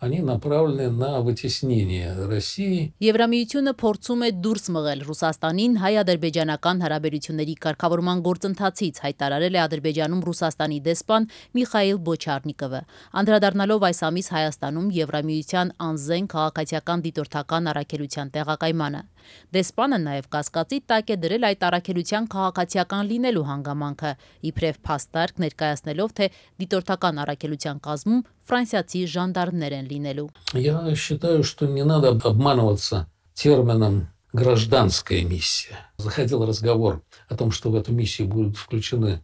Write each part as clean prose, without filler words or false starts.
они направлены на вытеснение России. Եվրամիությունը փորձում է դուրս մղել Ռուսաստանին հայ-ադրբեջանական հարաբերությունների կարգավորման գործընթացից, հայտարարել է Ադրբեջանում Ռուսաստանի դեսպան Միխայիլ Բոչարնիկովը։ Անդրադառնալով այս ամիս Հայաստանում Եվրամիության անզեն քաղաքացիական դիտորդական առաքելության տեղակայմանը։ Դեսպանը նաև կասկածի տակ է դրել այդ առաքելության քաղաքացիական լինելու հանգամանքը, իբրև փաստարկ ներկայացնելով, թե դիտորդական առաքելության կազմում ֆրանսիացի ժանդարմներ են լինելու։ Я считаю, что не надо обманываться термином «гражданская миссия». Заходил разговор о том, что в эту миссию будут включены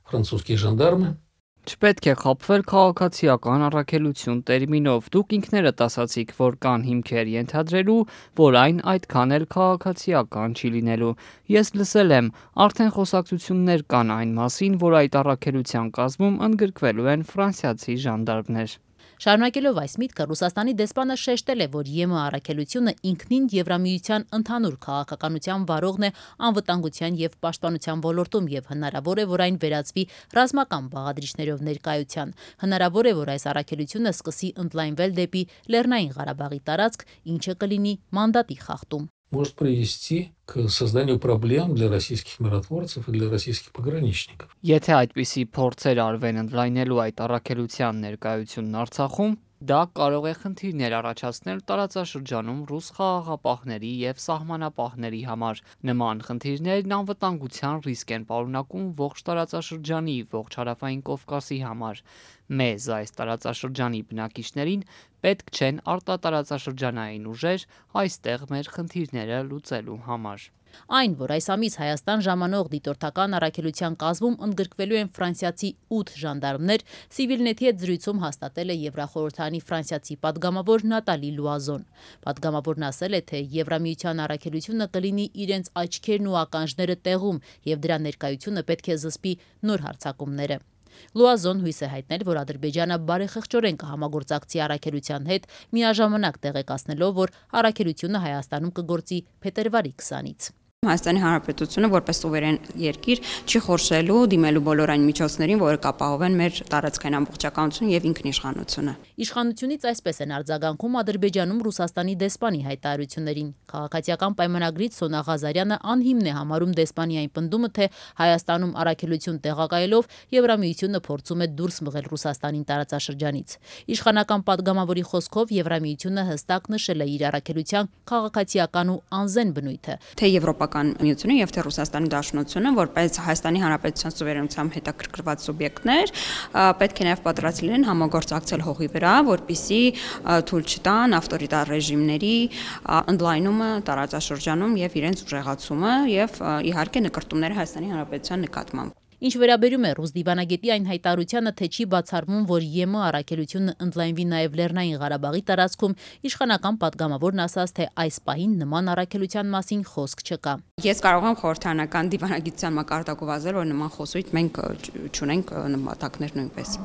французские жандармы. Չպետք է խաբվել քաղաքացիական առաքելություն տերմինով։ Դուք ինքներդ ասացիք, որ կան հիմքեր ենթադրելու, որ այն այդքան էլ քաղաքացիական չի լինելու։ Ես լսել եմ, արդեն խոսակցություններ կան այն մասին, որ այդ առաքելության կազմում ընդգրկվելու են ֆրանսիացի ժանդարմներ։ Շարունակելով այս միտքը, Ռուսաստանի դեսպանը շեշտել է, որ ԵՄ առաքելությունը ինքնին Եվրամիության ընդհանուր քաղաքականության վարողն է անվտանգության եւ պաշտպանության ոլորտում եւ հնարավոր է, որ այն վերածվի ռազմական բաղադրիչներով ներկայության։ Հնարավոր է, որ այս առաքելությունը սկսի ընդլայնվել դեպի Լեռնային Ղարաբաղի տարածք, ինչը կլինի մանդատի խախտում։ Может привести к созданию проблем для российских миротворцев и для российских пограничников. Եթե այդպիսի փորձեր արվեն ընդլայնելու այդ առաքելության ներկայությունն Արցախում, դա կարող է խնդիրներ առաջացնել տարածաշրջանում ռուս խաղաղապահների եւ սահմանապահների համար։ Նման խնդիրներն անվտանգության ռիսկ են պարունակում ողջ տարածաշրջանի, ողջ հարավային Կովկասի համար։ Մեզ այս տարածաշրջանի բնակիչներին պետք չեն արտատարածաշրջանային ուժեր այստեղ մեր խնդիրները լուծելու համար։ Այն, որ այս ամիս Հայաստան ժամանող դիտորդական առաքելության կազմում ընդգրկվելու են ֆրանսիացի 8 ժանդարմներ, Civilnet-ի հետ զրույցում հաստատել է Եվրախորհրդանի ֆրանսիացի падգամավոր Նատալի Լուազոն։ Падգամավորն ասել է, թե Եվրամիության առաքելությունը կլինի իրենց աչքերն ու ականջները տեղում եւ դրա ներկայությունը պետք է զսպի նոր հարձակումները։ Լուազոն հույս է հայտնել, որ Ադրբեջանը բարեխղճորեն կհամագործակցի առաքելության հետ, միաժամանակ տեղեկացնելով, որ առաքելությունը Հայաստանում կգործի փետրվարի 20-ից։ Հայաստանի Հանրապետությունը որպես սուվերեն երկիր չի խորշելու դիմելու բոլոր այն միջոցներին, որը կապահովեն մեր տարածքային ամբողջականությունը եւ ինքնիշխանությունը։ Իշխանությունից այսպես են արձագանքում Ադրբեջանում Ռուսաստանի դեսպանի հայտարարություններին։ Քաղաքացիական պայմանագրից Սոնա Ղազարյանը անհիմն է համարում դեսպանի այն պնդումը, թե Հայաստանում առաքելություն տեղակայելով Եվրամիությունը փորձում է դուրս մղել Ռուսաստանին տարածաշրջանից։ Իշխանական падգամավորի խոսքով Եվրամիությունը հստակ նշել է իր առաքելության քաղաքացիական ու անզեն բնույթը։ Թե Եվրոպական միությունը եւ թե Ռուսաստանի Դաշնությունը, որպես Հայաստանի Հանրապետության սուվերենությամբ հետաքրքրված սուբյեկտներ, պետք է նաեւ պատրաստ լինեն համագործակցել հողի վրա, որպիսի թույլ չտան ավտորիտար ռեժիմների ընդլայնումը տարածաշրջանում եւ իրենց ուժեղացումը եւ իհարկե նկարտումները Հայաստանի Հանրապետության նկատմամբ։ Ինչ վերաբերում է ռուս դիվանագետի այն հայտարարությանը, թե չի բացառվում, որ ԵՄ առաքելությունը ընդլայնվի նաև Լեռնային Ղարաբաղի տարածքում, իշխանական падգամավորն ասաց, թե այս պահին նման առաքելության մասին խոսք չկա։ Ես կարող եմ խորհրդարանական դիվանագիտության մակարդակով ասել, որ նման խոսույթ մենք չունենք նպատակներ նույնպես։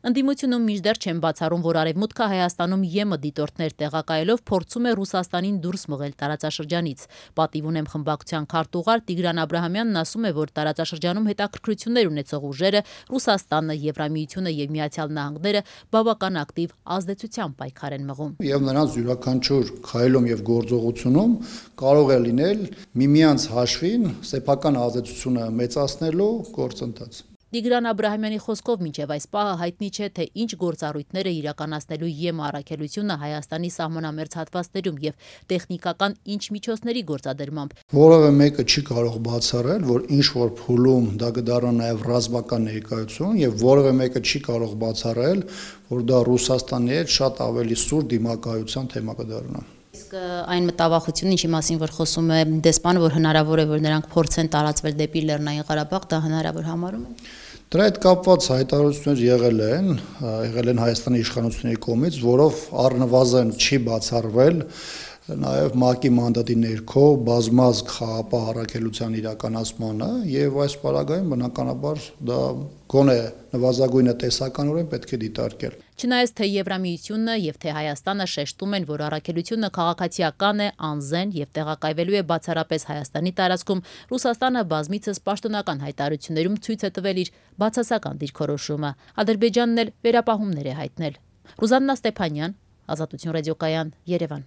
Ընդդիմությունում մինչդեռ չեն բացառում, որ Արևմուտքը Հայաստանում ԵՄ դիտորդներ տեղակայելով փորձում է Ռուսաստանին դուրս մղել տարածաշրջանից։ Պատիվ ունեմ խմբակցության քարտուղար Տիգրան Աբրահամյանն ասում է, որ տարածաշրջանում հետաքրքրություններ ունեցող ուժերը Ռուսաստանը, Եվրամիությունը եւ Միացյալ Նահանգները բավական ակտիվ ազդեցության պայքար են մղում։ Եվ նրանց յուրաքանչյուր քայլում եւ գործողությունում կարող է լինել միմյանց հաշվին սեփական ազդեցությունը մեծացնելու գործընթաց։ Տիգրան Աբրահամյանի խոսքով մինչև այս պահը հայտնի չէ, թե ինչ գործառույթներ է իրականացնելու ԵՄ առաքելությունը Հայաստանի սահմանամերձ հատվածներում եւ տեխնիկական ինչ միջոցների գործադրմամբ։ Որևէ մեկը չի կարող բացառել, որ ինչ որ փուլում դա կդառնա նաեւ ռազմական ներկայություն եւ որևէ մեկը չի կարող բացառել, որ դա Ռուսաստանի հետ շատ ավելի սուր դիմակայության թեմա կդառնա։ Իսկ այն մտավախությունը, ինչի մասին որ խոսում է դեսպանը, որ հնարավոր է, որ նրանք փորձեն տարածվել դեպի Լեռնային Ղարաբաղ, դա հնարավոր համարում են։ Դրա հետ կապված հայտարարություններ եղել են Հայաստանի իշխանությունների կողմից, որով առնվազն չի բացառվել նաև ՄԱԿ-ի մանդատի ներքո բազմազգ խաղապահ առաքելության իրականացմանը եւ այս պարագայում բնականաբար դա գոնե նվազագույնը տեսականորեն պետք է դիտարկել։ Չնայած թե Եվրամիությունը եւ թե Հայաստանը շեշտում են, որ առաքելությունը քաղաքացիական է, անզեն եւ տեղակայվելու է բացառապես Հայաստանի տարածքում, Ռուսաստանը բազմիցս պաշտոնական հայտարարություններում ցույց է տվել իր բացասական դիրքորոշումը։ Ադրբեջանն էլ վերապահումներ է հայտնել։ Ռուզաննա Ստեփանյան, Ազատություն ռադիոկայան, Երևան։